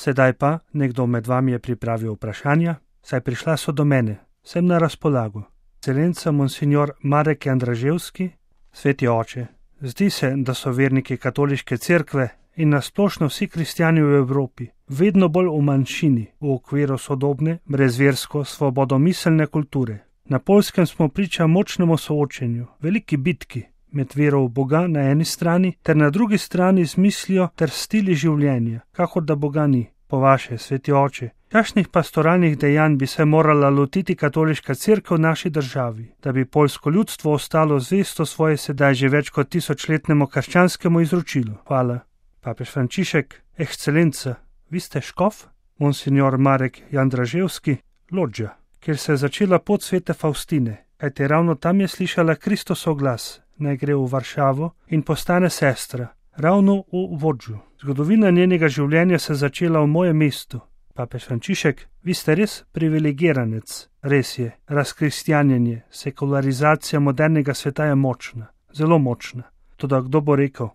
Sedaj pa nekdo med vami je pripravil vprašanja, saj prišla so do mene, sem na razpolago. Ekscelenca monsignor Marek Jandraževski, sveti oče, zdi se, da so verniki katoliške cerkve in nasplošno vsi kristjani v Evropi vedno bolj v manjšini v okviru sodobne, brezversko, svobodomiselne kulture. Na Poljskem smo priča močnemu soočenju, veliki bitki med vero v Boga na eni strani ter na drugi strani z mislijo ter stili življenja, kakor da Boga ni. Po vaše, sveti oče, kakšnih pastoralnih dejanj bi se morala lotiti katoliška cerkev v naši državi, da bi poljsko ljudstvo ostalo zvesto svoje sedaj že več kot 1000-letnemu krščanskemu izročilu? Hvala. Papež Frančišek, ekscelenca, vi ste škof? Monsignor Marek Jandraževski, Lodža, kjer se je začela pot svete Faustine, kajte ravno tam je slišala Kristosov glas, naj gre v Varšavo in postane sestra, ravno v Vodžu. Zgodovina njenega življenja se je začela v mojem mestu. Papež Frančišek, vi ste res privilegiranec. Res je, razkristjanjenje, sekularizacija modernega sveta je močna, zelo močna. Toda kdo bo rekel?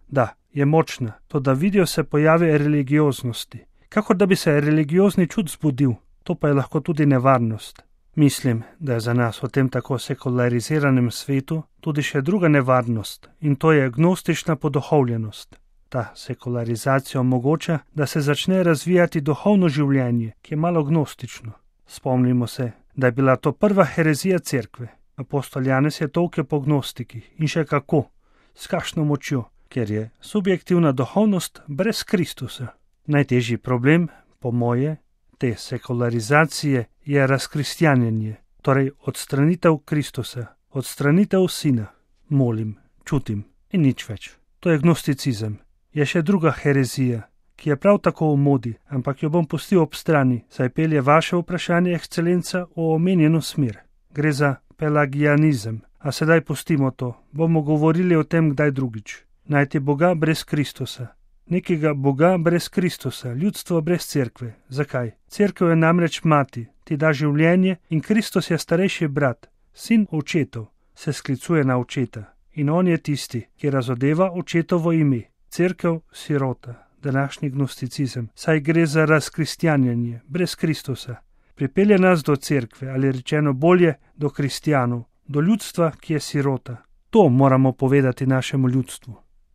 Da, je močna, toda vidijo se pojave religioznosti. Kakor da bi se religiozni čut zbudil, to pa je lahko tudi nevarnost. Mislim, da je za nas v tem tako sekulariziranem svetu tudi še druga nevarnost, in to je gnostična poduhovljenost. Ta sekularizacija omogoča, da se začne razvijati duhovno življenje, ki je malo gnostično. Spomnimo se, da je bila to prva herezija cerkve. Apostol Janez je tolkel po gnostikih in še kako, s kakšno močjo, ker je subjektivna duhovnost brez Kristusa. Najtežji problem, po moje, te sekularizacije je razkristjanjenje, torej odstranitev Kristusa, odstranitev Sina. Molim, čutim in nič več. To je gnosticizem. Je še druga herezija, ki je prav tako v modi, ampak jo bom pustil ob strani, saj pelje vaše vprašanje, ekscelenca, v omenjeno smer. Gre za pelagianizem, a sedaj pustimo to, bomo govorili o tem kdaj drugič. Najti Boga brez Kristusa. Nekega Boga brez Kristusa, ljudstvo brez cerkve. Zakaj? Cerkev je namreč mati, ti da življenje in Kristus je starejši brat, sin očetov, se sklicuje na očeta. In on je tisti, ki razodeva očetovo ime. Cerkev sirota, današnji gnosticizem, saj gre za razkristjanjenje, brez Kristusa. Pripelje nas do cerkve, ali rečeno bolje, do kristjanov, do ljudstva, ki je sirota. To moramo povedati našemu ljudstvu.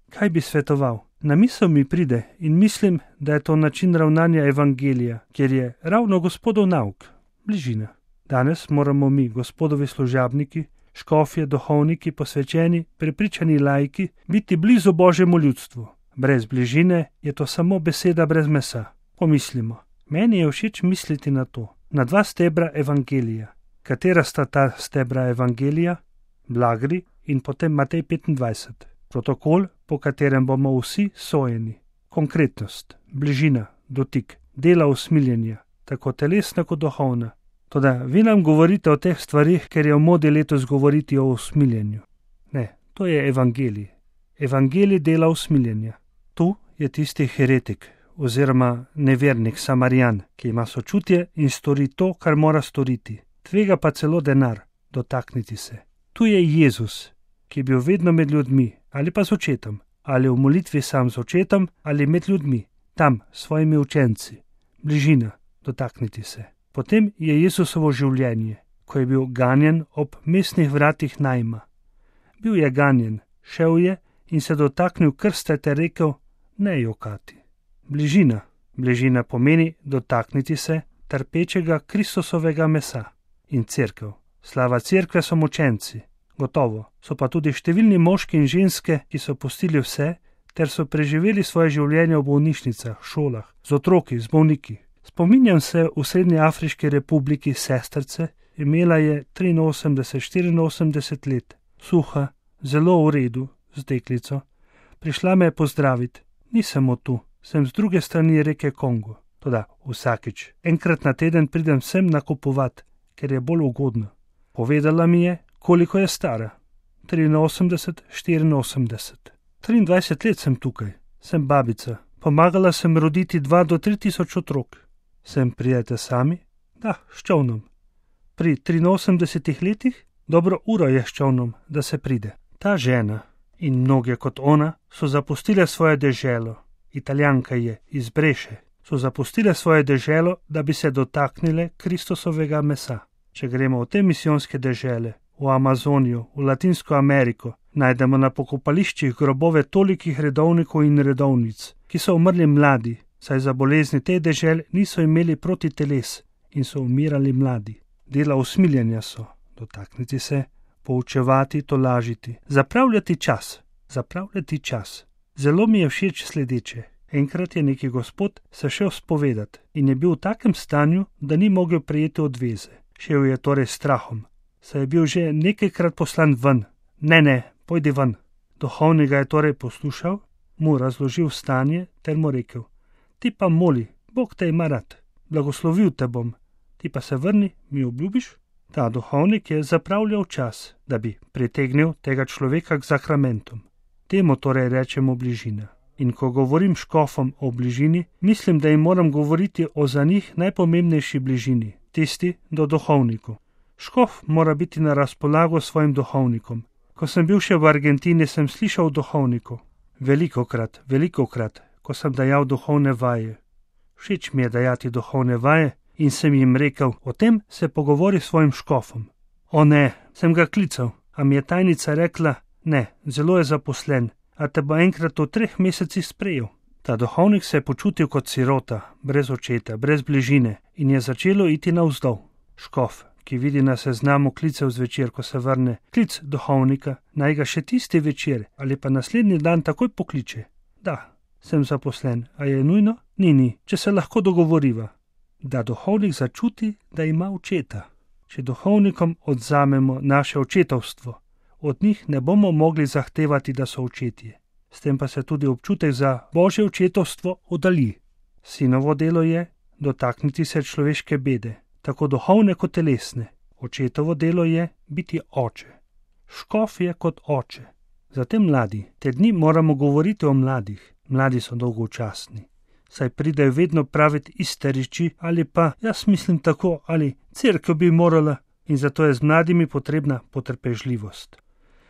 Kaj bi svetoval? Na misel mi pride in mislim, da je to način ravnanja evangelija, kjer je ravno Gospodov nauk, bližina. Danes moramo mi, Gospodovi služabniki, škofje, duhovniki, posvečeni, prepričani laiki, biti blizu Božjemu ljudstvu. Brez bližine je to samo beseda brez mesa. Pomislimo. Meni je všeč misliti na to, na dva stebra evangelija. Katera sta ta stebra evangelija? Blagri in potem Matej 25. Protokol, po katerem bomo vsi sojeni. Konkretnost, bližina, dotik, dela usmiljenja, tako telesna kot duhovna. Toda vi nam govorite o teh stvarih, ker je v modi letos govoriti o usmiljenju. Ne, to je evangelij. Evangelij dela usmiljenja. Tu je tisti heretik oziroma nevernik Samarijan, ki ima sočutje in stori to, kar mora storiti. Tvega pa celo denar, dotakniti se. Tu je Jezus, ki je bil vedno med ljudmi, ali pa z očetom, ali v molitvi sam z očetom, ali med ljudmi, tam s svojimi učenci. Bližina, dotakniti se. Potem je Jezusovo življenje, ko je bil ganjen ob mestnih vratih Najma. Bil je ganjen, šel je in se dotaknil krste ter rekel, ne jokati. Bližina. Bližina pomeni dotakniti se trpečega Kristusovega mesa. In cerkev. Slava cerkve so mučenci. Gotovo. So pa tudi številni moški in ženske, ki so pustili vse, ter so preživeli svoje življenje v bolnišnicah, šolah, z otroki, z bolniki. Spominjam se v Srednji Afriški republiki sestrce, imela je 83-84 let, suha, zelo v redu, z deklico. Prišla me je pozdraviti. Nisem tu, sem z druge strani reke Kongo. Toda vsakič, enkrat na teden pridem sem nakupovat, ker je bolj ugodno. Povedala mi je, koliko je stara. 83-84. 23 let sem tukaj, sem babica. Pomagala sem roditi 2 do 3 tisoč otrok. Sem prijete sami? Da, s čolnom. Pri 83 letih? Dobro uro je s čolnom, da se pride. Ta žena in mnoge kot ona so zapustile svoje deželo. Italijanka je iz Breše. so zapustile svoje deželo, da bi se dotaknile Kristusovega mesa. Če gremo v te misijonske dežele, v Amazonijo, v Latinsko Ameriko, najdemo na pokopališčih grobove tolikih redovnikov in redovnic, ki so umrli mladi, saj za bolezni te dežel niso imeli protiteles in so umirali mladi. Dela usmiljenja so, dotakniti se, poučevati, tolažiti, zapravljati čas. Zelo mi je všeč sledeče. Enkrat je neki gospod se šel spovedati in je bil v takem stanju, da ni mogel prejeti odveze. Šel je torej strahom, saj je bil že nekajkrat poslan ven. Ne, pojdi ven. Duhovnik ga je torej poslušal, mu razložil stanje ter mu rekel: ti pa moli, Bog te ima rad, blagoslovil te bom, ti pa se vrni, mi obljubiš? Ta duhovnik je zapravljal čas, da bi pritegnil tega človeka k zakramentom. Temu torej rečemo bližina. In ko govorim škofom o bližini, mislim, da jim moram govoriti o za njih najpomembnejši bližini, tisti do duhovniku. Škof mora biti na razpolago svojim duhovnikom. Ko sem bil še v Argentini, sem slišal o duhovniku. Velikokrat, ko sem dajal duhovne vaje. Všeč mi je dajati duhovne vaje in sem jim rekel: o tem se pogovori s svojim škofom. O ne, sem ga klical, a mi je tajnica rekla: ne, zelo je zaposlen, a te bo enkrat v 3 mesecih sprejel. Ta duhovnik se je počutil kot sirota, brez očeta, brez bližine in je začelo iti navzdol. Škof, ki vidi na seznamu klicev zvečer, ko se vrne, klic duhovnika, naj ga še tisti večer ali pa naslednji dan takoj pokliče. Da, sem zaposlen, a je nujno? Ni, če se lahko dogovoriva. Da duhovnik začuti, da ima očeta. Če duhovnikom odzamemo naše očetovstvo, od njih ne bomo mogli zahtevati, da so očetje. S tem pa se tudi občutek za Božje očetovstvo oddalji. Sinovo delo je dotakniti se človeške bede, tako duhovne kot telesne. Očetovo delo je biti oče. Škof je kot oče. Zatem mladi. Te dni moramo govoriti o mladih. Mladi so dolgočasni, saj pridejo vedno praviti iste reči ali pa jaz mislim tako ali cerkev bi morala, in zato je z mladimi potrebna potrpežljivost.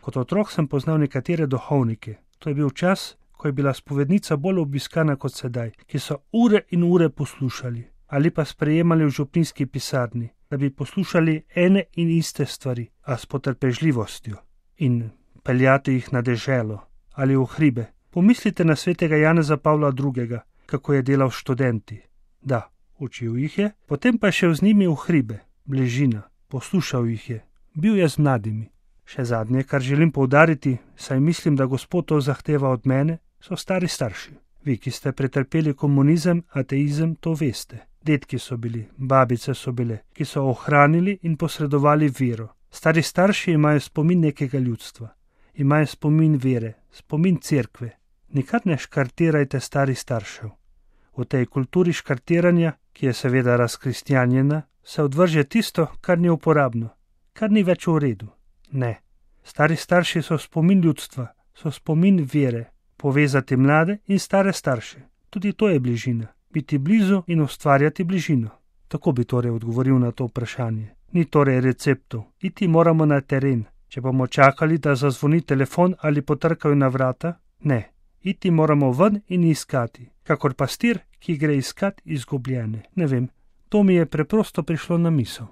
Kot otrok sem poznal nekatere duhovnike. To je bil čas, ko je bila spovednica bolj obiskana kot sedaj, ki so ure in ure poslušali ali pa sprejemali v župnijski pisarni, da bi poslušali ene in iste stvari, a s potrpežljivostjo, in peljati jih na deželo ali v hribe. Pomislite na svetega Janeza Pavla II., kako je delal s študenti. Da, učil jih je, potem pa je šel z njimi v hribe, bližina, poslušal jih je, bil je z mladimi. Še zadnje, kar želim poudariti, saj mislim, da Gospod to zahteva od mene, so stari starši. Vi, ki ste pretrpeli komunizem, ateizem, to veste. Dedki so bili, babice so bile, ki so ohranili in posredovali vero. Stari starši imajo spomin nekega ljudstva, imajo spomin vere, spomin cerkve. Nikar ne škartirajte starih staršev. V tej kulturi škartiranja, ki je seveda razkristjanjena, se odvrže tisto, kar ni uporabno, kar ni več v redu. Ne, stari starši so spomin ljudstva, so spomin vere, povezati mlade in stare starše. Tudi to je bližina, biti blizu in ustvarjati bližino. Tako bi torej odgovoril na to vprašanje. Ni torej receptov, iti moramo na teren. Če bomo čakali, da zazvoni telefon ali potrkajo na vrata, ne. Iti moramo ven in iskati, kakor pastir, ki gre iskat izgubljene. Ne vem, to mi je preprosto prišlo na misel.